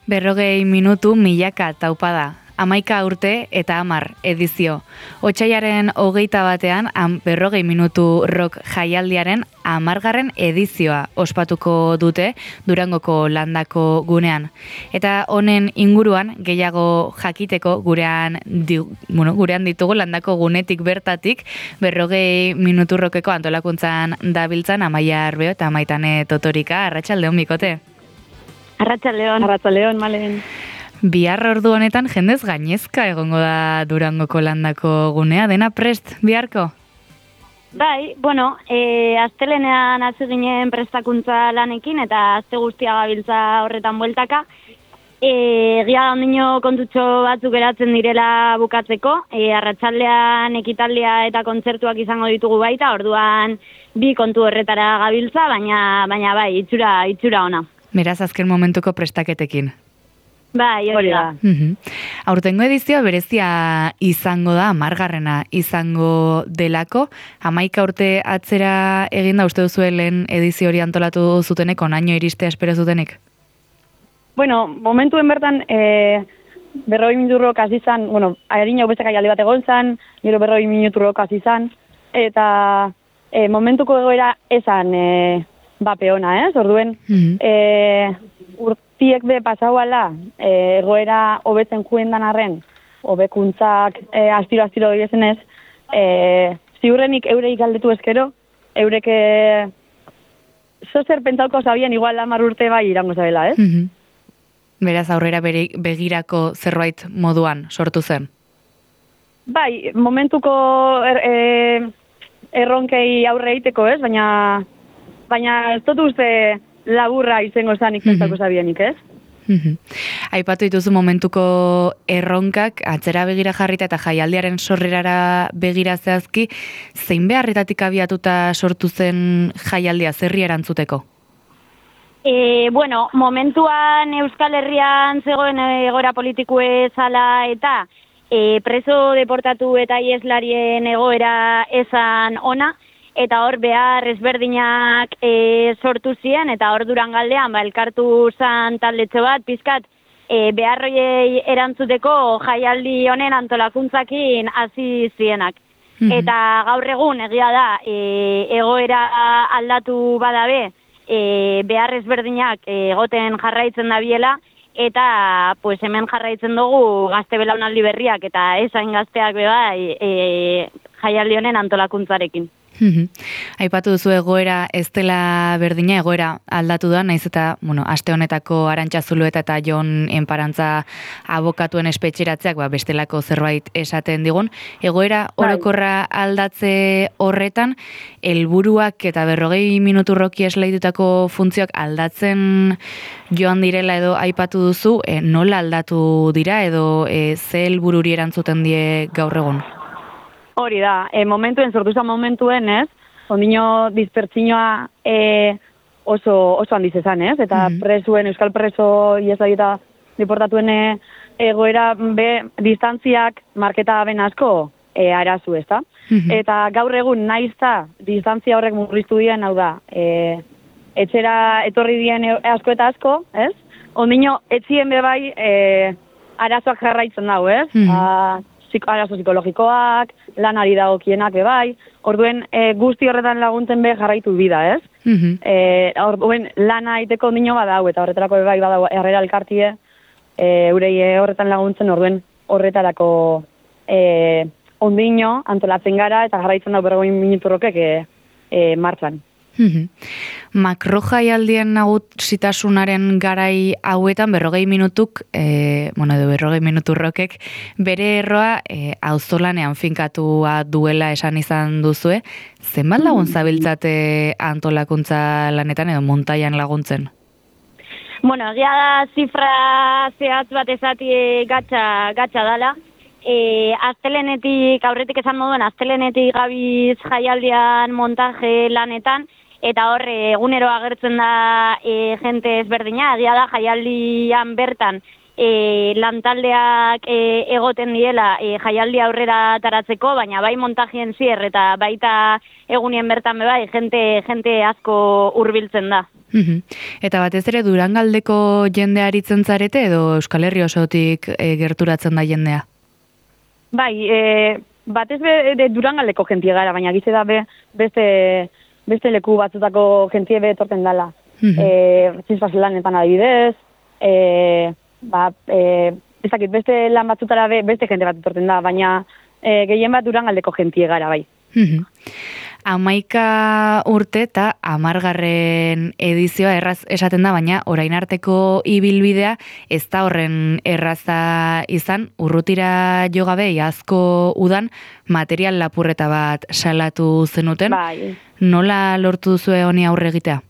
40 minutu milaka taupada. 11 urte eta 10 edizio. Otsailaren 21ean 40 minutu rock jaialdiaren 10. edizioa ospatuko dute Durangoko landako gunean. Eta honen inguruan gehiago jakiteko gurean ditugu landako gunetik bertatik 40 minutu rockeko antolakuntzan dabiltzan Amaia Arbeo eta Maitane Totorika. Arratsaldeon bikote. Arratsaldeon, Malen. Bihar ordu honetan jendez gainezka egongo da Durangoko landako gunea, dena prest biharko? Bai, astelenean hasi ginen prestakuntza lanekin eta aste guztia gabiltza horretan bueltaka. Egia da ondino kontutxo batzuk geratzen direla bukatzeko, arratsaldean ekitaldia eta kontzertuak izango ditugu baita, orduan bi kontu horretara gabiltza, baina bai, itxura ona. Beraz azken momentuko prestaketekin. Bai, hori da. Aurtengo edizioa berezia izango da, 10. izango delako. 11 urte atzera eginda uste duzu lehen edizio hori antolatu zutenek, onaino iristea espero zutenek? Momentuen bertan 40 minutu rock hasi izan, harin hau bestek aialdi bat egon zan, gero 40 minutu rock hasi izan, eta momentuko egoera esan bapeona, orduen, urtiek be pasauala, egoera hobetzen juendan arren, hobekuntzak astiro esenez, ziurrenik eureik galdetu eskero, eurek zozer pentsauko zabien igual 10 urte bai irango zabela, Beraz aurrera begirako zerbait moduan sortu zen? Bai, momentuko erronkei aurre egiteko, baina ez dut uste laburra izango zanik pentsako zabienik, Aipatu dituzu momentuko erronkak, atzera begira jarrita eta jaialdiaren sorrerara begira zehazki, zein beharretatik abiatuta sortu zen jaialdia, zerri erantzuteko? Momentuan Euskal Herrian zegoen egoera politikue zala eta preso deportatu eta ieslarien egoera esan ona, eta hor behar ezberdinak sortu ziren, eta hor Durangaldean elkartu zan taldetxo bat, pizkat, beharroiei erantzuteko jaialdi honen antolakuntzakin hasi zienak. Eta gaur egun egia da, egoera aldatu badabe, behar ezberdinak egoten jarraitzen dabiela, eta hemen jarraitzen dugu gazte belaunaldi berriak eta esain gazteak jaialdi honen antolakuntzarekin. Aipatu duzu egoera ez dela berdina, egoera aldatu da, naiz eta, aste honetako Arantxa Zulueta eta Jon Enparantza abokatuen espetxeratzeak, bestelako zerbait esaten digun. Egoera orokorra aldatze horretan, helburuak eta 40 minutu roki esleitutako funtzioak aldatzen joan direla edo aipatu duzu, nola aldatu dira edo ze helbururi erantzuten die gaur egun? Hori da, sortu zen momentuen, ondino dispertsinoa oso handiz ezan, eta euskal preso iesai eta deportatuen egoera distantziak marketa ben asko arazu, ezta? Eta gaur egun naizta distantzia horrek murriztu dien, hau da, etxera etorri dien asko eta asko, ondino etzien bebai arazoak jarraitzen dago, arazo psikologikoak, lanari dagokienak bai, orduen guzti horretan laguntzen jarraitu bida, orduen lana iteko ondino badau, eta horretarako bai badau herrera elkartie, eurei horretan laguntzen, orduen horretarako ondino antolatzen gara, eta jarraitzen dago 40 minutu rokek martxan. Makro jaialdien nagusitasunaren garai hauetan 40 minutuk, edo 40 minutu rokek, bere erroa auzolanean finkatua duela esan izan duzue. Zenbat lagun zabiltzate antolakuntza lanetan edo montaian laguntzen? Egia da zifra zehatz bat ezati gatsa dala. Aurretik esan moduen, astelenetik gabiz jaialdian montaje lanetan, eta hor egunero agertzen da jente ezberdina, egia da jaialdian bertan lantaldeak egoten diela jaialdi aurrera taratzeko, baina bai montajien zier eta baita egunien bertan bai jente asko hurbiltzen da. Eta batez ere Durangaldeko jendea aritzen zarete edo Euskal Herri osotik gerturatzen da jendea? Bai, batez be Durangaldeko jentie gara, baina gize da beste leku batzutako jentie be etorten dala. Zizpazelanetan adibidez, ez dakit, beste lan batzutara beste jente bat etorten da, baina gehien bat Durangaldeko jentie gara, bai. 11 urte eta 10. edizioa erraz esaten da, baina orain arteko ibilbidea ez da horren erraza izan, urrutira jo gabe iazko udan material lapurreta bat salatu zenuten. Bai. Nola lortu duzue honi aurre egitea?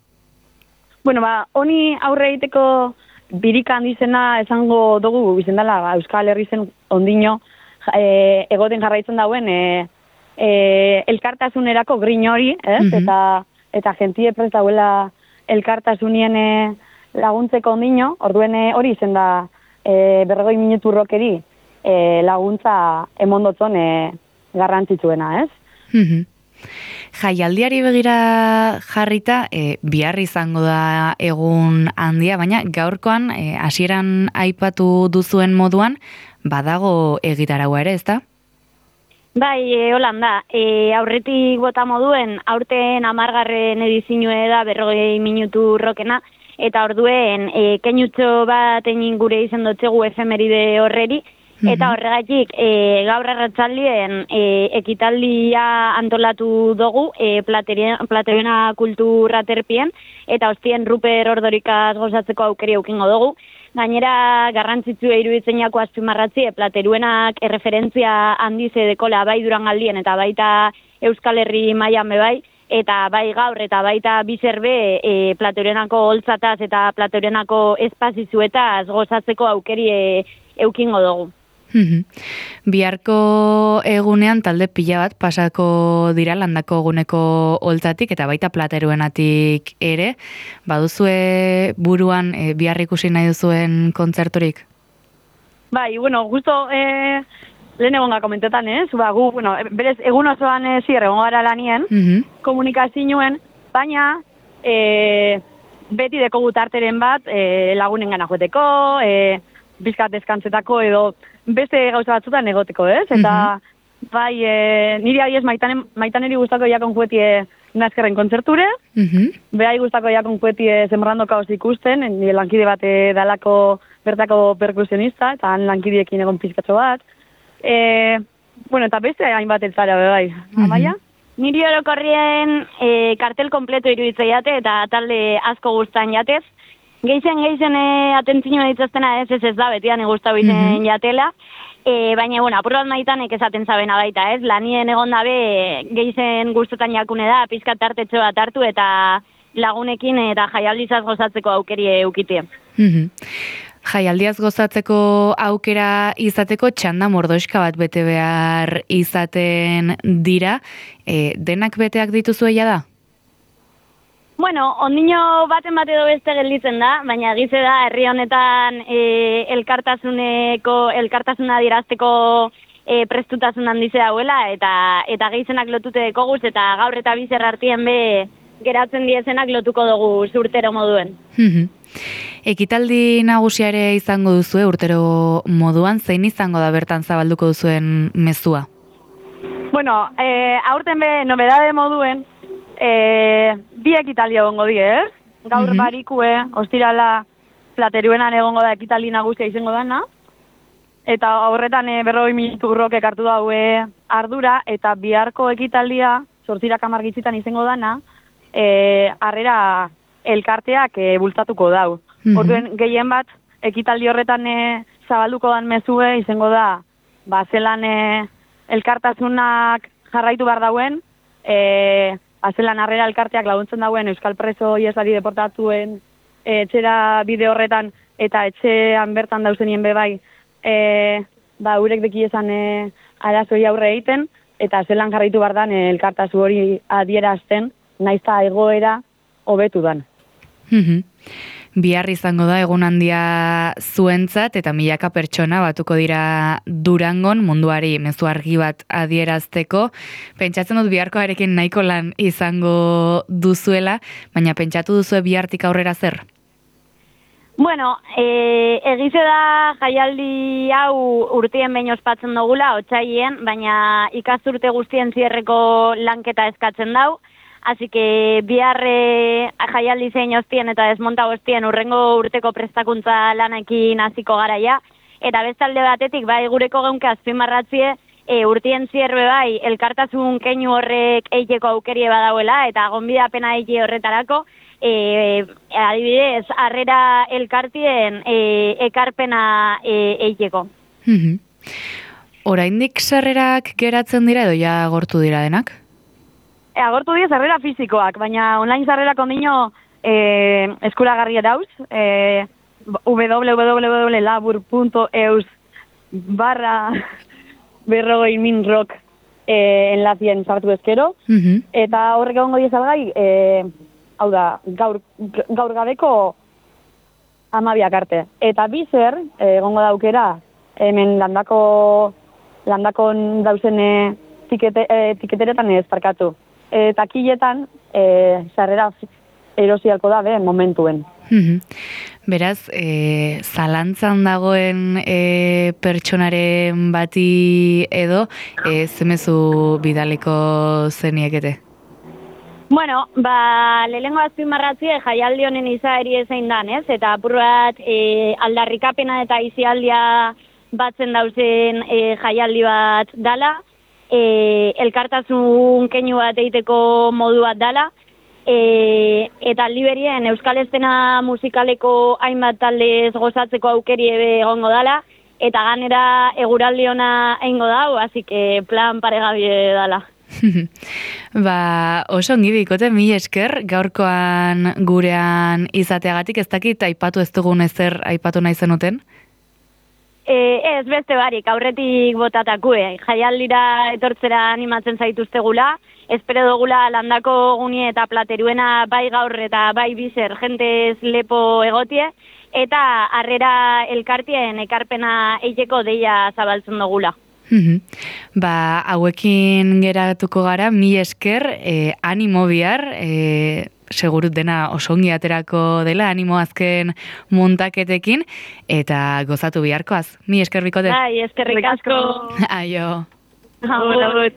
Bueno, honi aurre egiteko birika handizena esango dugu izendala, Euskal Herri zen ondino egoten jarraitzen dauen elkartasunerako grin hori, ez? Eta jentie prest dauela elkartasunien laguntzeko ondino, orduen hori izen da 40 minutu rokeri laguntza emondotzon garrantzitsuena, ez? Jaialdiari begira jarrita, bihar izango da egun handia, baina gaurkoan hasieran aipatu duzuen moduan, badago egitaraua ere, ezta? Bai, Holanda, aurretik bota moduen, aurten 10. edizioa da 40 minutu rokena, eta orduen keinutxo bat egin gure izan dotzegu efemeride horreri, eta horregatik gaur arratsaldien ekitaldia antolatu dugu Plateruena kulturaterpien, eta ostien Ruper Ordorikaz gozatzeko aukeri eukingo dugu. Gainera, garrantzitsua iruditzenako azpimarratzi, Plateruenak erreferentzia handize dekola bai Durangaldien eta baita Euskal Herri mailan bai, eta bai gaur eta baita bizerbe Plateruenako holtzataz eta Plateruenako espazizuetaz gozatzeko aukeri eukingo dugu. Biharko egunean talde pila bat pasako dira Landako eguneko holtzatik eta baita Plateruenatik ere. Baduzue buruan bihar ikusi nahi duzuen kontzerturik? Bai, bueno, justo lehen egonga komentetan, ez? Gu, berez, egun osoan zier egon gara lanien, komunikazioen, baina beti deko gutarteren bat lagunen gana joeteko, bizkat deskantzetako edo beste gauza batzutan egoteko, ez? Eta bai, niri adiez maitaneri gustako jakon juetie nazkerren kontzerture, behai gustako jakon juetie Sembrando Kaos ikusten, nire lankide bat dalako bertako perkusionista, eta han lankidiekin egon pizkatxo bat. Eta beste hainbat eltzara, bai. Amaia? Niri orokorrien kartel kompleto iruditzea eta talde asko gustan jatez. Geizen atentzioa ditzaztena ez da, betian guztau izen jatela, baina, apur bat maitanek esaten zabena baita, ez? Lanien egon dabe geizen guztotan jakune da, pizkat tartetxo bat hartu eta lagunekin eta jaialdizaz gozatzeko aukeri eukitie. Jaialdiaz gozatzeko aukera izateko txanda mordoxka bat bete behar izaten dira, denak beteak dituzuela da? Bueno, ondino baten bat edo beste gelditzen da, baina gize da herri honetan elkartasuna dirazteko prestutasun handize dauela, eta gehizenak lotute dekoguz, eta gaur eta bizer artien be geratzen diezenak lotuko dugu urtero moduen. Ekitaldi nagusia ere izango duzue urtero moduan, zein izango da bertan zabalduko duzuen mezua? Bueno, aurten be nobedade moduen, bi ekitaldi egongo die, ez? Gaur barikue, ostirala Plateruenan egongo da ekitaldi nagusia izango dana, eta horretan 40 minutu rokek hartu daue ardura, eta biharko ekitaldia, 8:10 izango dana, harrera elkarteak bultzatuko dau. Orduen gehien bat, ekitaldi horretan zabalduko dan mezue izango da, zelan elkartasunak jarraitu behar dauen, zelan harrera elkarteak laguntzen dauen Euskal preso ieslari deportatuen etxera bide horretan eta etxean bertan dauzenien bebai, urek beki esan arazoi aurre egiten, eta zelan jarraitu behar dan elkartasu hori adierazten, naizta egoera hobetu dan. Bihar izango da egun handia zuentzat eta milaka pertsona batuko dira Durangon munduari mezu argi bat adierazteko. Pentsatzen dut biharkoarekin nahiko lan izango duzuela, baina pentsatu duzue bihartik aurrera zer? Bueno, egize da jaialdi hau urtien behin ospatzen dugula, otsaien, baina ikasturte guztien zierreko lanketa eskatzen dau. Así que bihar jaialdi zein ostien eta desmonta ostien urrengo urteko prestakuntza lanekin hasiko garaia. Eta bestalde batetik, bai gureko geunke azpimarratzie, urtien zierbe bai, elkartasun keinu horrek eiteko aukerie badauela, eta gonbidapena eite horretarako, adibidez, harrera elkartien ekarpena eiteko. Oraindik sarrerak geratzen dira edo ja agortu dira denak? Agortu dira sarrera fizikoak, baina online sarrerak ondino eskuragarri dauz, www.labur.eus/berrogeiminrock enlazien sartu ezkero, eta horrek egongo diezalgai, hau da, gaur gabeko 12 arte. Eta bizer, egongo daukera, hemen landakon dauzen tiketeretan ez parkatu. Takiletan, sarrera erosialko da, momentuen. Beraz, zalantzan dagoen pertsonaren bati edo, zemezu bidaliko zeniekete? Bueno, lehenengo azpimarratzie jaialdi honen izaeri ezein dan, ez? Eta apur bat aldarrikapena eta izialdia batzen dauzen jaialdi bat dala, elkartasun keinu bat eiteko modu bat dala, eta liberien euskal estena musikaleko hainbat taldez gozatzeko aukeri egongo dala, eta ganera eguraldi ona eingo dau, así que plan paregabie dala. Oso ongi bikote, mil esker gaurkoan gurean izateagatik, ez dakit aipatu ez dugun ezer aipatu nahi zenuten? Ez beste barik, aurretik botatakue. Jaialdira etortzera animatzen zaituztegula, espero dugula landako gunie eta plateruena bai gaur eta bai bizer jentez lepo egotie, eta harrera elkartien ekarpena eiteko deia zabaltzen dugula. Hauekin geratuko gara, mil esker, animo bihar, segurut dena oso ongi aterako dela, animo azken muntaketekin, eta gozatu biharkoaz. Mil esker bikote. Eskerrik asko. Aio. Agur.